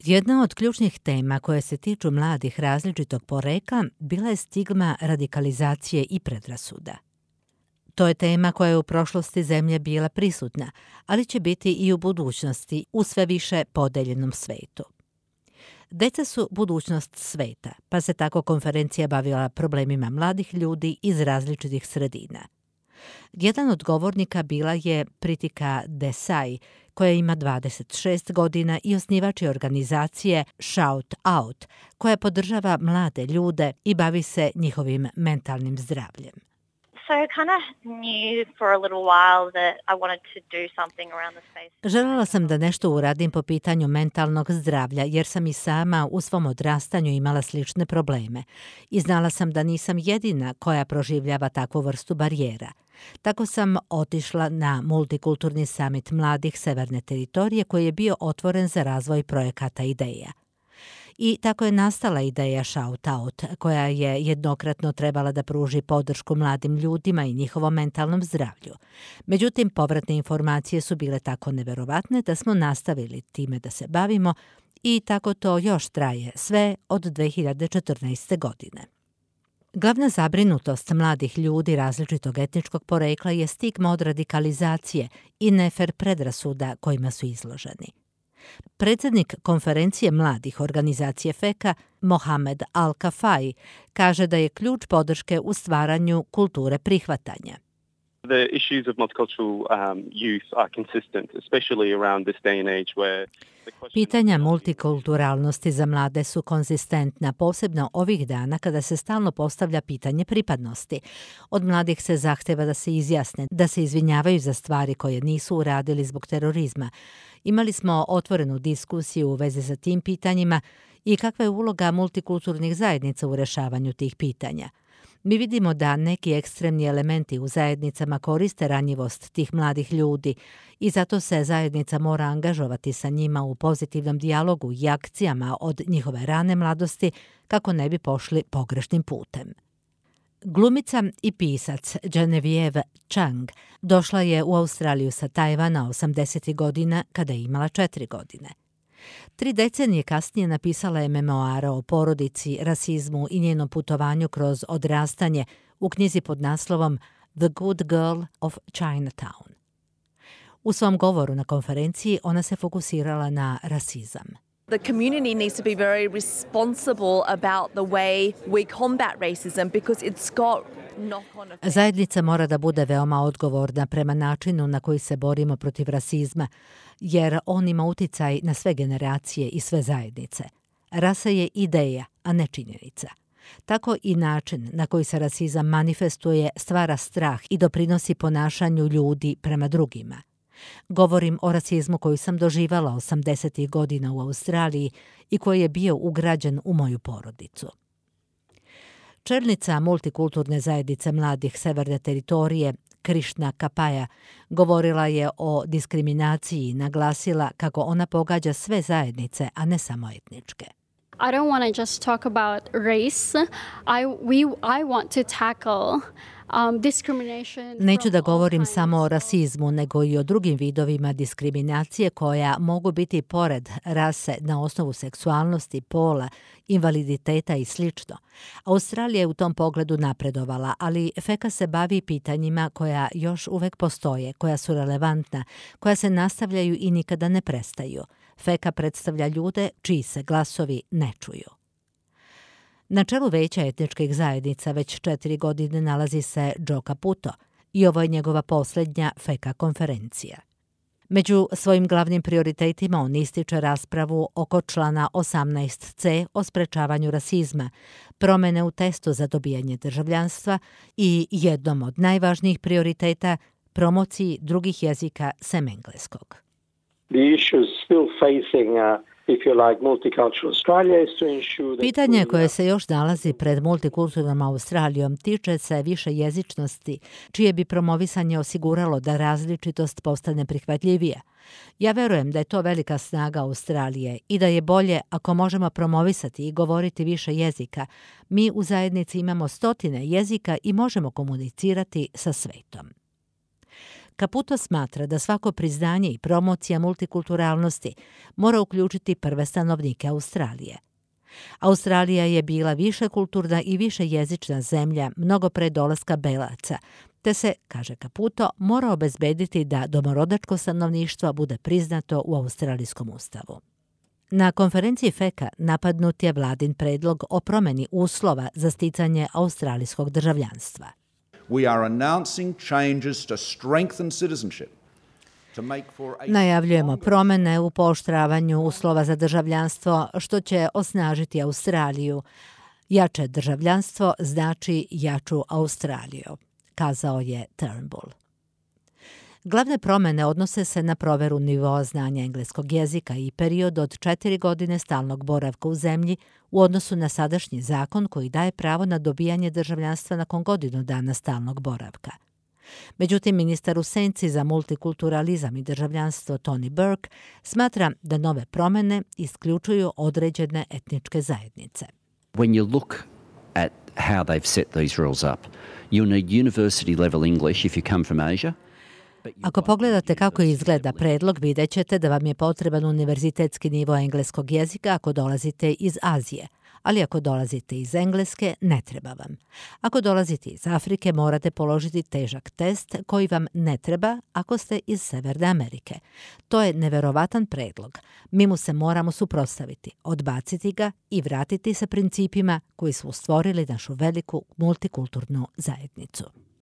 Jedna od ključnih tema koje se tiču mladih različitog porekla bila je stigma radikalizacije i predrasuda. To je tema koja je u prošlosti zemlje bila prisutna, ali će biti i u budućnosti u sve više podeljenom svetu. Deca su budućnost sveta, pa se tako konferencija bavila problemima mladih ljudi iz različitih sredina. Jedan od govornika bila je Pritika Desai, koja ima 26 godina i osnivač je organizacije Shout Out, koja podržava mlade ljude i bavi se njihovim mentalnim zdravljem. So I kind of knew for a little while that I wanted to do something around the space. Željela sam da nešto uradim po pitanju mentalnog zdravlja, jer sam i sama u svom odrastanju imala slične probleme. I znala sam da nisam jedina koja proživljava takvu vrstu barijera. Tako sam otišla na multikulturni summit mladih Severne teritorije koji je bio otvoren za razvoj projekata ideja. I tako je nastala ideja Shout Out, koja je jednokratno trebala da pruži podršku mladim ljudima i njihovom mentalnom zdravlju. Međutim, povratne informacije su bile tako neverovatne da smo nastavili time da se bavimo i tako to još traje sve od 2014. godine. Glavna zabrinutost mladih ljudi različitog etničkog porekla je stigma od radikalizacije i nefer predrasuda kojima su izloženi. Predsjednik konferencije mladih organizacije FECA, Mohamed Al-Kafai, kaže da je ključ podrške u stvaranju kulture prihvatanja. The issues of multicultural youth are consistent, especially around this day and age where Pitanja multikulturalnosti za mlade su konzistentna, posebno ovih dana kada se stalno postavlja pitanje pripadnosti. Od mladih se zahteva da se izjasne, da se izvinjavaju za stvari koje nisu uradili zbog terorizma. Imali smo otvorenu diskusiju u vezi sa tim pitanjima i kakva je uloga multikulturnih zajednica u rešavanju tih pitanja. Mi vidimo da neki ekstremni elementi u zajednicama koriste ranjivost tih mladih ljudi i zato se zajednica mora angažovati sa njima u pozitivnom dijalogu i akcijama od njihove rane mladosti kako ne bi pošli pogrešnim putem. Glumica i pisac Genevieve Chang došla je u Australiju sa Tajvana 80. godina kada je imala 4 godine. 3 decenije kasnije napisala je memoare o porodici, rasizmu i njenom putovanju kroz odrastanje u knjizi pod naslovom The Good Girl of Chinatown. U svom govoru na konferenciji ona se fokusirala na rasizam. The community needs to be very responsible about the way we combat racism because it's got knock-on effects. Zajednica mora da bude veoma odgovorna prema načinu na koji se borimo protiv rasizma, jer on ima uticaj na sve generacije i sve zajednice. Rasa je ideja, a ne činjenica. Tako i način na koji se rasizam manifestuje stvara strah i doprinosi ponašanju ljudi prema drugima. Govorim o rasizmu koji sam doživala 80. godina u Australiji i koji je bio ugrađen u moju porodicu. Čelnica multikulturne zajednice mladih Severne teritorije, Krishna Kapaja, govorila je o diskriminaciji i naglasila kako ona pogađa sve zajednice, a ne samo etničke. I don't want to just talk about race. I want to tackle discrimination. Neću da govorim samo o rasizmu, nego i o drugim vidovima diskriminacije koja mogu biti pored rase na osnovu seksualnosti, pola, invaliditeta i sl. Australija je u tom pogledu napredovala, ali FECA se bavi pitanjima koja još uvek postoje, koja su relevantna, koja se nastavljaju i nikada ne prestaju. FECA predstavlja ljude čiji se glasovi ne čuju. Na čelu veća etničkih zajednica već 4 godine nalazi se Joe Caputo i ovo je njegova posljednja FECA konferencija. Među svojim glavnim prioritetima on ističe raspravu oko člana 18c o sprečavanju rasizma, promene u testu za dobijanje državljanstva i jednom od najvažnijih prioriteta promociji drugih jezika sem engleskog. Pitanje koje se još nalazi pred multikulturnom Australijom tiče se više jezičnosti, čije bi promovisanje osiguralo da različitost postane prihvatljivija. Ja verujem da je to velika snaga Australije i da je bolje ako možemo promovisati i govoriti više jezika. Mi u zajednici imamo 100 jezika i možemo komunicirati sa svetom. Caputo smatra da svako priznanje i promocija multikulturalnosti mora uključiti prve stanovnike Australije. Australija je bila višekulturna i višejezična zemlja mnogo pre dolaska belaca, te se, kaže Caputo, mora obezbediti da domorodačko stanovništvo bude priznato u australijskom ustavu. Na konferenciji FECA napadnut je vladin predlog o promeni uslova za sticanje australijskog državljanstva. We are announcing changes to strengthen citizenship. Najavljujemo promene u pooštravanju uslova za državljanstvo, što će osnažiti Australiju. Jače državljanstvo znači jaču Australiju, kazao je Turnbull. Glavne promene odnose se na proveru nivoa znanja engleskog jezika i period od 4 godine stalnog boravka u zemlji u odnosu na sadašnji zakon koji daje pravo na dobijanje državljanstva nakon godinu dana stalnog boravka. Međutim, ministar u senci za multikulturalizam i državljanstvo Tony Burke smatra da nove promene isključuju određene etničke zajednice. When you look at how they've set these rules up, you'll need university level English if you come from Asia. Ako pogledate kako izgleda predlog, vidjet ćete da vam je potreban univerzitetski nivo engleskog jezika ako dolazite iz Azije, ali ako dolazite iz Engleske, ne treba vam. Ako dolazite iz Afrike, morate položiti težak test koji vam ne treba ako ste iz Severne Amerike. To je neverovatan predlog. Mi mu se moramo suprotstaviti, odbaciti ga i vratiti se principima koji su stvorili našu veliku multikulturnu zajednicu.